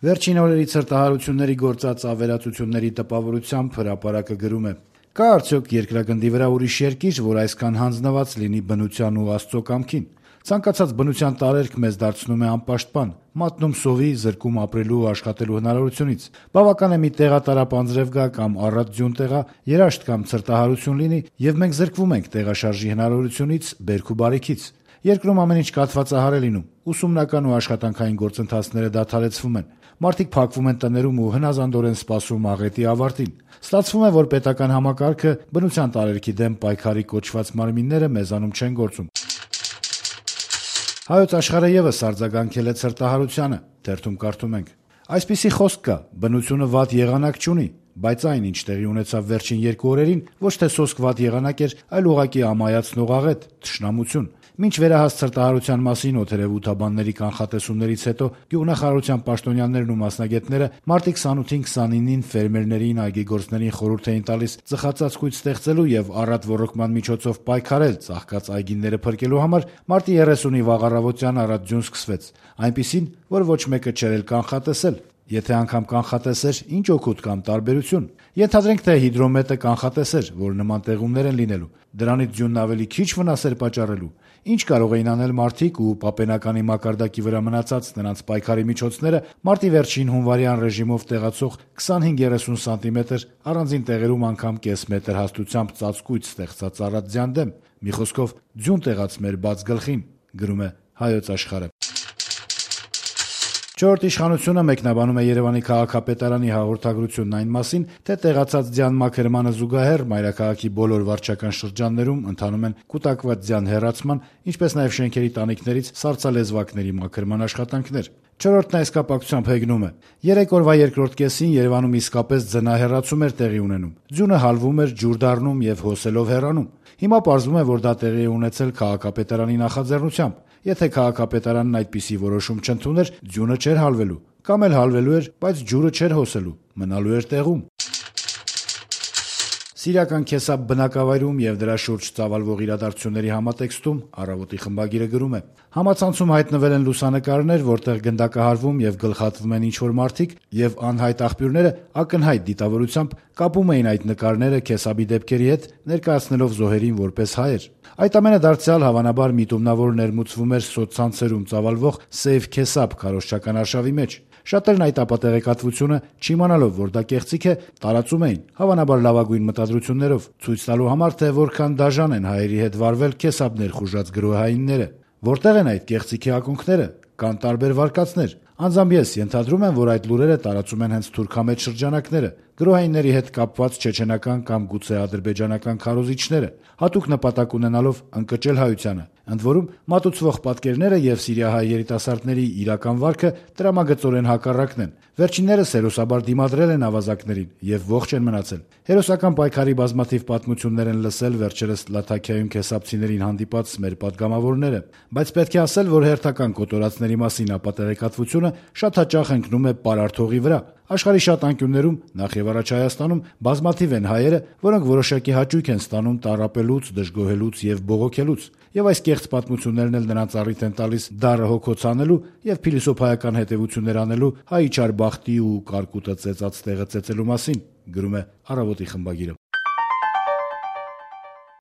Վերջին օրերի ցրտահարությունների գործած ավերածությունների տպավորությամբ հրապարակը գրում է. «Կա արդյոք երկրագնդի վրա ուրիշ երկիր, որ այսքան հանձնված լինի բնության ու Աստծո կամքին։ Ցանկացած բնության տարերք մեզ դարձնում է անպաշտպան, մատնում սովի, զրկում ապրելու ու աշխատելու հնարավորությունից։ Բավական է մի տեղատարապ անձրև գա կամ առատ ձյուն տեղա, երաշտ կամ ցրտահարություն լինի, եւ մենք զրկվում ենք տեղաշարժի հնարավորությունից, բերք ու բարիքից։ Երկրում ամեն ինչ կաթվածահար է լինում, ուսումնական ու աշխատանքային գործընթացները դադարեցվում են, մարդիկ փակվում են տներում ու հնազանդորեն սպասում աղետի ավարտին։ Ստացվում է, որ պետական համակարգը, բնության տարերքի դեմ պայքարի կոչված մարմինները մեզանում չեն գործում»։ Հայոց Աշխարհը եւս արձագանքել է ցրտահարությանը, թերթում կարդում ենք. «Այսպիսի խոսք կա. բնությունը վատ եղանակ չունի, բայց այն, ինչ տեղի ունեցավ վերջին 2 օրերին, ոչ թե սոսկ վատ եղանակ էր, այլ ուղղակի ամայացնող աղետ, թշնամություն։ Մինչ վերահաս ցրտահարության մասին օդերեվութաբանների կանխատեսումներից հետո գյուղնախարարության պաշտոնյաներն ու մասնագետները մարտի 28-ին 29-ին ֆերմերներին, այգեգործներին խորհուրդ էին տալիս ծխածածկույթ ստեղծելու եւ առատ ոռոգման միջոցով պայքարել ծաղկած այգիները փրկելու համար, մարտի 30-ի վաղ առավոտյան առատ ձյուն սկսվեց, այնպիսին, որ ոչ մեկը չէր էլ կանխատեսել։ Եթե անգամ կանխատեսեր, ինչ օգուտ կամ տարբերություն։ Ենթադրենք, թե հիդրոմետը կանխատեսեր, որ նման տեղումներ են լինելու, դրանից ձյունն ավելի քիչ վնաս էր պատճառելու։ Ինչ կարող էին անել մարդիկ ու պապենականի մակարդակի վրա մնացած նրանց պայքարի միջոցները մարտի վերջին հունվարյան ռեժիմով տեղացող 25-30 սանտիմետր, առանձին տեղերում անգամ կես մետր հաստությամբ ծածկույթ ստեղծած առատ ձյան դեմ։ Մի խոսքով, ձյուն տեղաց մեր բաց գլխին», գրում է Հայոց Աշխարհը։ «Չորրորդ իշխանությունը» մեկնաբանում է Երևանի քաղաքապետարանի հաղորդագրությունն այն մասին, թե տեղացած ձյան մաքրմանը զուգահեռ մայրաքաղաքի բոլոր վարչական շրջաններում ընթանում են կուտակված ձյան հեռացման, ինչպես նաև շենքերի տանիքներից սառցալեզվակների մաքրման աշխատանքներ։ «Չորրորդն» այս կապակցությամբ հեգնում է. «3 օրվա երկրորդ կեսին Երևանում իսկապես ձնահեռացում էր տեղի ունենում։ Ձյունը հալվում էր, ջուր դառնում եւ հոսելով հեռանում։ Հիմա պարզվում է, որ դա տեղի է ունեցել քաղաքապետարանի նախաձեռնությամբ։ Եթե քաղաքապետարանն այդպիսի որոշում չընդուներ, ձյունը չէր հալվելու, կամ էլ հալվելու էր, բայց ջուրը չէր հոսելու, մնալու էր տեղում»։ Սիրիական Քեսափ բնակավայրում եւ դրա շուրջ ծավալվող իրադարձությունների համատեքստում «Առավոտ»-ի խմբագիրը գրում է. «Համացանցում հայտնվել են լուսանկարներ, որտեղ գնդակահարվում եւ գլխատվում են ինչ-որ մարդիկ, եւ անհայտ աղբյուրները ակնհայտ դիտավորությամբ կապում էին այդ նկարները Քեսափի դեպքերի հետ, ներկայացնելով զոհերին որպես հայեր։ Այդ ամենը դարձյալ հավանաբար միտումնավոր ներմուծվում էր սոցցանցերում ծավալվող Save Քեսափ քարոզչական արշավի մեջ։ Շատերն այդ ապատեղեկատվությունը, չիմանալով, որ դա կեղծիք է, տարածում էին, հավանաբար լավագույն մտադրություններով, ցույց տալու համար, թե որքան դաժան են հայերի հետ վարվել Քեսափ ներխուժած գրոհայինները։ Որտեղ են այդ կեղծիքի ակունքները։ Կան տարբեր վարկածներ։ Անձամբ ես ենթադրում եմ, որ այդ լուրերը տարածում են հենց թուրքամետ շրջանակները, գրոհայինների հետ կապված չեչենական կամ գուցե ադրբեջանական քարոզիչները, հատուկ նպատակ ունենալով ընկճել հայությանը։ Ընդ որում, մատուցվող պատկերները եւ սիրիահայ երիտասարդների իրական վարքը տրամագծորեն հակառակն են։ Վերջիններս հերոսաբար դիմադրել են ավազակներին եւ ողջ են մնացել։ Հերոսական պայքարի բազմաթիվ պատմություններ են լսել վերջերս Լաթաքիայում քեսափցիներին հանդիպած մեր պատգամավորները, բայց պետք է ասել, որ հերթական կոտորածների մասին ապատեղեկատվությունը շատ հաճախ ընկնում է պարարթողի վրա։ Աշխարհի շատ անկյուններում, նախ եւ առաջ Հայաստանում, բազմաթիվ են հայերը, որոնք որոշակի հաճույք են ստանում տառապելուց, դժգոհելուց եւ բողոքելուց, եւ այս կեղծ պատմություններն էլ նրանց առիթ են տալիս դառը հոգոց անելու եւ փիլիսոփայական հետեւություններ անելու հայ չար բախտի ու կարկուտը ծեծած տեղը ծեծելու մասին, գրում է Առավոտ»-ի խմբագիրը։